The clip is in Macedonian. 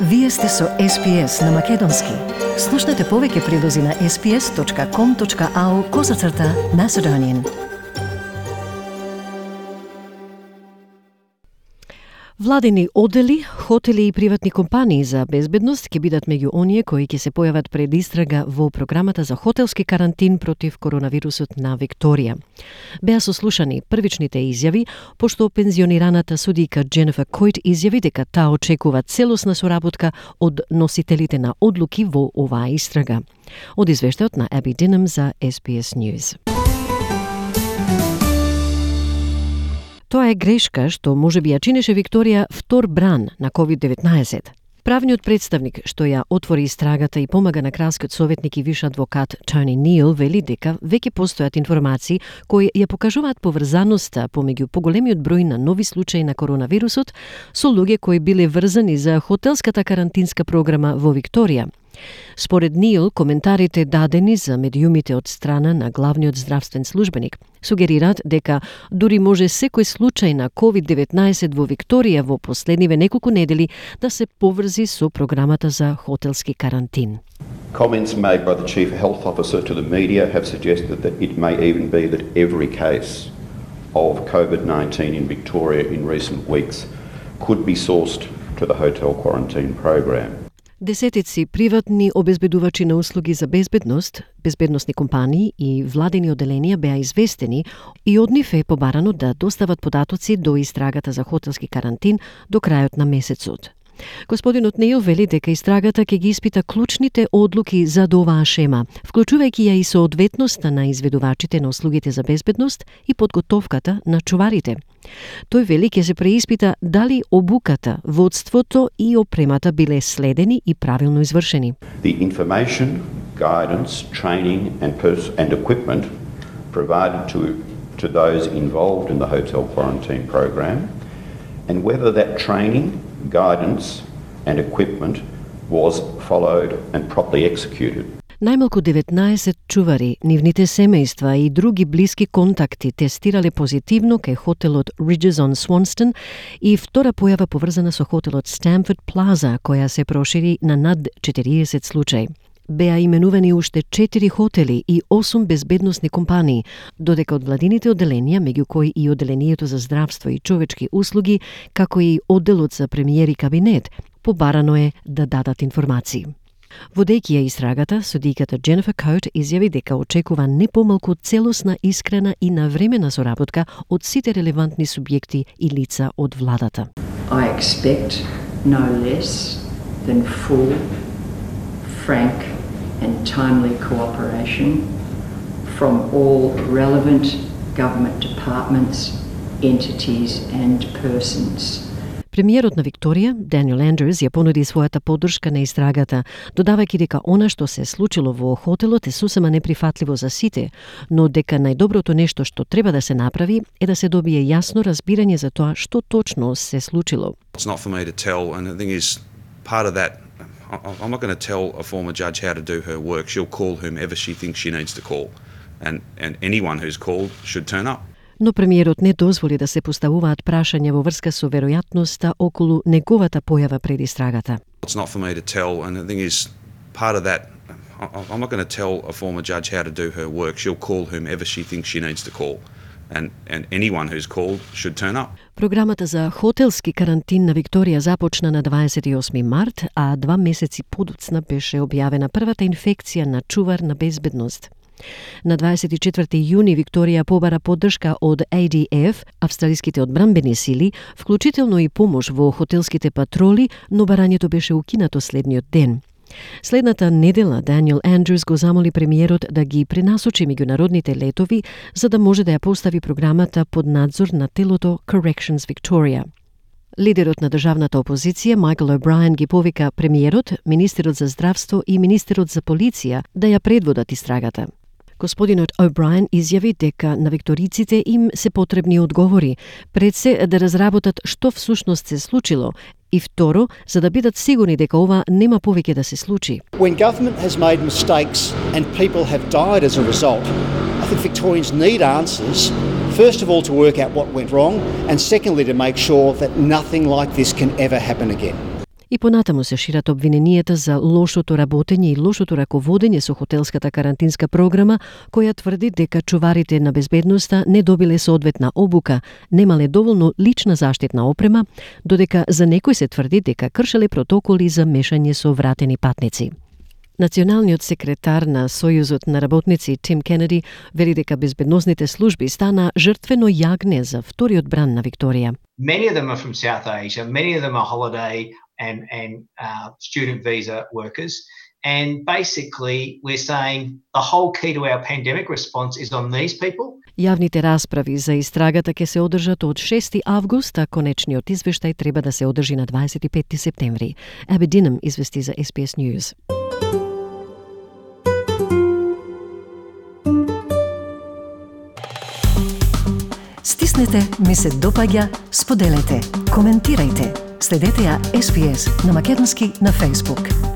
Вие сте со SPS на Македонски. Слушнете повеќе прилози на sps.com.au/Macedonian. Владени оддели, хотели и приватни компании за безбедност ќе бидат меѓу оние кои ќе се појават пред истрага во програмата за хотелски карантин против коронавирусот на Викторија. Беа сослушани првичните изјави, пошто пензионираната судика Дженефер Којт изјави дека таа очекува целосна соработка од носителите на одлуки во оваа истрага. Од извештајот на Аби Динам за SBS News. Тоа е грешка што можеби ја чинеше Викторија втор бран на COVID-19. Правниот представник што ја отвори истрагата и помага на кралскиот советник и виш адвокат Тони Нил вели дека веќе постојат информации кои ја покажуваат поврзаноста помеѓу поголемиот број на нови случаи на коронавирусот со луѓе кои биле врзани за хотелската карантинска програма во Викторија. Според Нил, коментарите дадени за медиумите од страна на главниот здравствен службеник сугерираат дека дури може секој случај на COVID-19 во Викторија во последниве неколку недели да се поврзи со програмата за хотелски карантин. Comments made by the Chief Health Officer to the media have suggested that it may even be that every case of COVID-19 in Victoria in recent weeks could be sourced to the hotel quarantine program. Десетици приватни обезбедувачи на услуги за безбедност, безбедносни компании и владени одделенија беа известени и од нив е побарано да достават податоци до истрагата за хотелски карантин до крајот на месецот. Господинот Неил вели дека истрагата ќе ги испита клучните одлуки за оваа шема, вклучувајќи ја и соодветноста на изведувачите на услугите за безбедност и подготовката на чуварите. Тој вели ќе се преиспита дали обуката, водството и опремата биле следени и правилно извршени. The information, guidance, training and equipment provided to those involved in the hotel quarantine program and whether that training, guidance and equipment was followed and properly executed. Најмалку 19 чувари, нивните семејства и други блиски контакти тестирале позитивно кај хотелот Ridges on Swanston и втора појава поврзана со хотелот Stamford Plaza, која се прошири на над 40 случаи. Беа именувани уште 4 хотели и 8 безбедносни компании, додека од владините одделенија, меѓу кои и одделението за здравство и човечки услуги, како и одделот за премиер и кабинет, побарано е да дадат информации. Водејќи ја истрагата, судиката Дженефер Којт изјави дека очекува не помалку целосна, искрена и навремена соработка од сите релевантни субјекти и лица од владата. I expect no less than full, frank and timely cooperation from all relevant government departments, entities and persons. Премиерот на Викторија, Даниел Андрюс, ја понуди својата поддршка на истрагата, додавајќи дека она што се случило во хотелот е сосема неприфатливо за сите, но дека најдоброто нешто што треба да се направи е да се добие јасно разбирање за тоа што точно се случило. It's not for me to tell, and the thing is, part of that, I'm not going to tell a former judge how to do her work. She'll call whomever she thinks she needs to call, and anyone who's called should turn up. Но премиерот не дозволи да се поставуваат прашања во врска со веројатноста околу неговата појава пред истрагата. It's not for me to tell, and the thing is, part of that, I'm not going to tell a former judge how to do her work. She'll call whomever she thinks she needs to call, and anyone who's called should turn up. Програмата за хотелски карантин на Викторија започна на 28 март, а 2 месеци подоцна беше објавена првата инфекција на чувар на безбедност. На 24 јуни Викторија побара поддршка од ADF, австралиските одбранбени сили, вклучително и помош во хотелските патроли, но барањето беше укинато следниот ден. Следната недела Даниел Андрюс го замоли премиерот да ги пренасочи меѓународните летови за да може да ја постави програмата под надзор на телото Corrections Victoria. Лидерот на државната опозиција Майкл О'Брајен ги повика премиерот, министерот за здравство и министерот за полиција да ја предводат истрагата. Господинот О'Брајен изјави дека на викториците им се потребни одговори, пред се да разработат што всушност се случило и второ, за да бидат сигурни дека ова нема повеќе да се случи. When government has made mistakes and people have died as a result, I think Victorians need answers, first of all to work out what went wrong, and secondly to make sure that nothing like this can ever happen again. И понатаму се шират обвиненијата за лошото работење и лошото раководење со хотелската карантинска програма, која тврди дека чуварите на безбедноста не добиле соодветна обука, немале доволно лична заштитна опрема, додека за некој се тврди дека кршеле протоколи за мешање со вратени патници. Националниот секретар на Сојузот на работници Тим Кенеди вели дека безбедносните служби стана жртвено јагне за вториот бран на Викторија. Many of them are from South Asia, many of them are holiday and student visa workers. And basically, we're saying the whole key to our pandemic response is on these people. Јавните расправи за истрагата ќе се одржат од 6 август, а конечниот извештај треба да се одржи на 25 септември. Абби Динам извести за SBS News. Стиснете, ми се допаѓа, споделете, коментирајте. Следете ја SBS на македонски на Facebook.